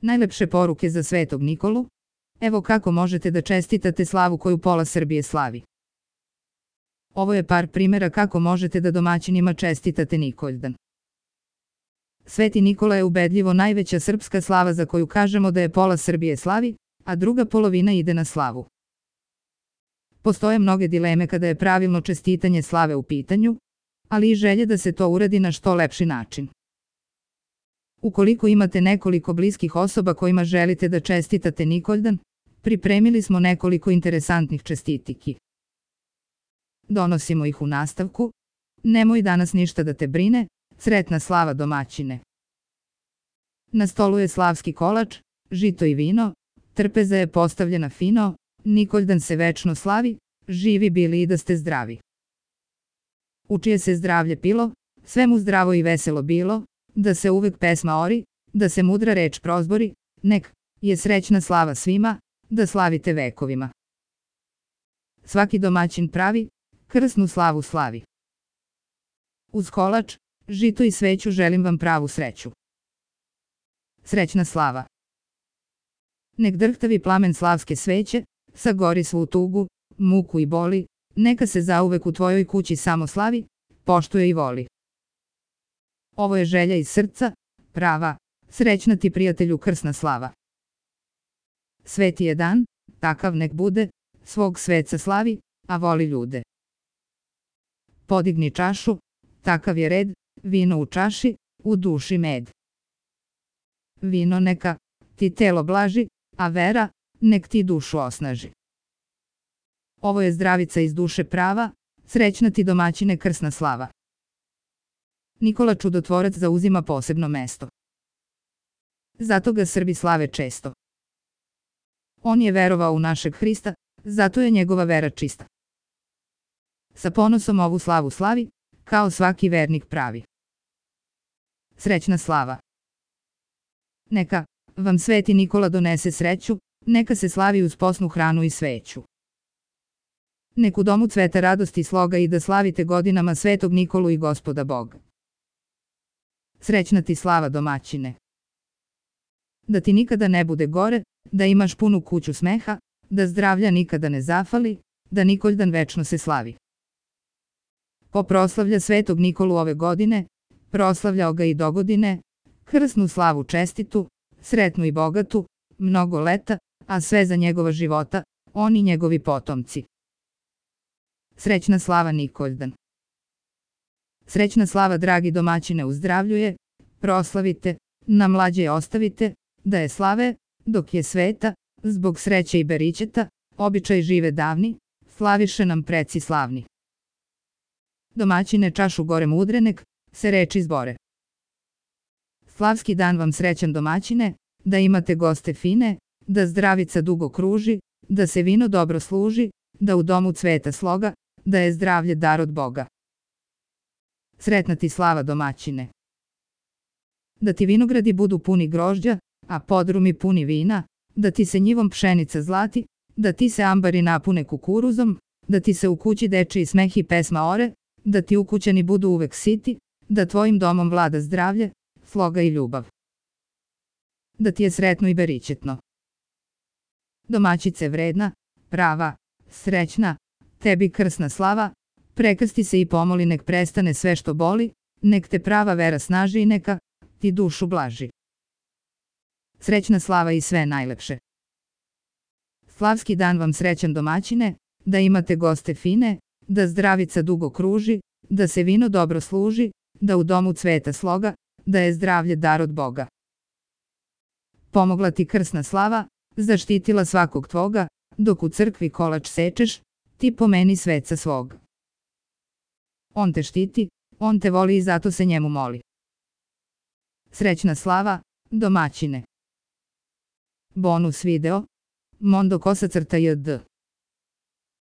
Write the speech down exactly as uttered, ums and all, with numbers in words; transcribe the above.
Najlepše poruke za Svetog Nikolu? Evo kako možete da čestitate slavu koju pola Srbije slavi. Ovo je par primjera kako možete da domaćinima čestitate Nikoldan. Sveti Nikola je ubedljivo najveća srpska slava za koju kažemo da je pola Srbije slavi, a druga polovina ide na slavu. Postoje mnoge dileme kada je pravilno čestitanje slave u pitanju, ali i želje da se to uradi na što lepši način. Ukoliko imate nekoliko bliskih osoba kojima želite da čestitate Nikoldan, pripremili smo nekoliko interesantnih čestitiki. Donosimo ih u nastavku. Nemoj danas ništa da te brine, sretna slava domaćine. Na stolu je slavski kolač, žito i vino, trpeza je postavljena fino, Nikoldan se večno slavi, živi bili i da ste zdravi. U čije se zdravlje pilo, sve mu zdravo i veselo bilo, da se uvek pesma ori, da se mudra reč prozbori, nek je srećna slava svima, da slavite vekovima. Svaki domaćin pravi, krsnu slavu slavi. Uz kolač, žito i sveću želim vam pravu sreću. Srećna slava. Nek drhtavi plamen slavske sveće, sagori svu tugu, muku i boli, neka se zauvek u tvojoj kući samo slavi, poštuje i voli. Ovo je želja iz srca, prava, srećna ti prijatelju krsna slava. Sveti je dan, takav nek bude, svog sveca slavi, a voli ljude. Podigni čašu, takav je red, vino u čaši, u duši med. Vino neka ti telo blaži, a vera nek ti dušu osnaži. Ovo je zdravica iz duše prava, srećna ti domaćine krsna slava. Nikola Čudotvorac zauzima posebno mesto. Zato ga Srbi slave često. On je verovao u našeg Hrista, zato je njegova vera čista. Sa ponosom ovu slavu slavi, kao svaki vernik pravi. Srećna slava. Neka vam Sveti Nikola donese sreću, neka se slavi uz posnu hranu i sveću. Nek u domu cveta radosti i sloga i da slavite godinama Svetog Nikolu i Gospoda Boga. Srećna ti slava domaćine. Da ti nikada ne bude gore, da imaš punu kuću smeha, da zdravlja nikada ne zafali, da Nikoldan večno se slavi. Ko proslavlja Svetog Nikolu ove godine, proslavljao ga i dogodine, krsnu slavu čestitu, sretnu i bogatu, mnogo leta, a sve za njegova života, on i njegovi potomci. Srećna slava Nikoldan. Srećna slava dragi domaćine uzdravljuje, proslavite, na mlađe ostavite, da je slave, dok je sveta, zbog sreće i beričeta, običaj žive davni, slaviše nam preci slavni. Domaćine čašu gore mudrenek, se reči zbore. Slavski dan vam srećan domaćine, da imate goste fine, da zdravica dugo kruži, da se vino dobro služi, da u domu cveta sloga, da je zdravlje dar od Boga. Sretna ti slava domaćine. Da ti vinogradi budu puni grožđa, a podrumi puni vina, da ti se njivom pšenica zlati, da ti se ambari napune kukuruzom, da ti se u kući dečiji smeh i pesma ore, da ti ukućani budu uvek siti, da tvojim domom vlada zdravlje, sloga i ljubav. Da ti je sretno i beričetno. Domaćice vredna, prava, srećna, tebi krsna slava, prekrsti se i pomoli nek prestane sve što boli, nek te prava vera snaži i neka ti dušu blaži. Srećna slava i sve najlepše. Slavski dan vam srećan domaćine, da imate goste fine, da zdravica dugo kruži, da se vino dobro služi, da u domu cveta sloga, da je zdravlje dar od Boga. Pomogla ti krsna slava, zaštitila svakog tvoga, dok u crkvi kolač sečeš, ti pomeni sveca svog. On te štiti, on te voli i zato se njemu moli. Srećna slava, domaćine. Bonus video, Mondo Kosa crta jd.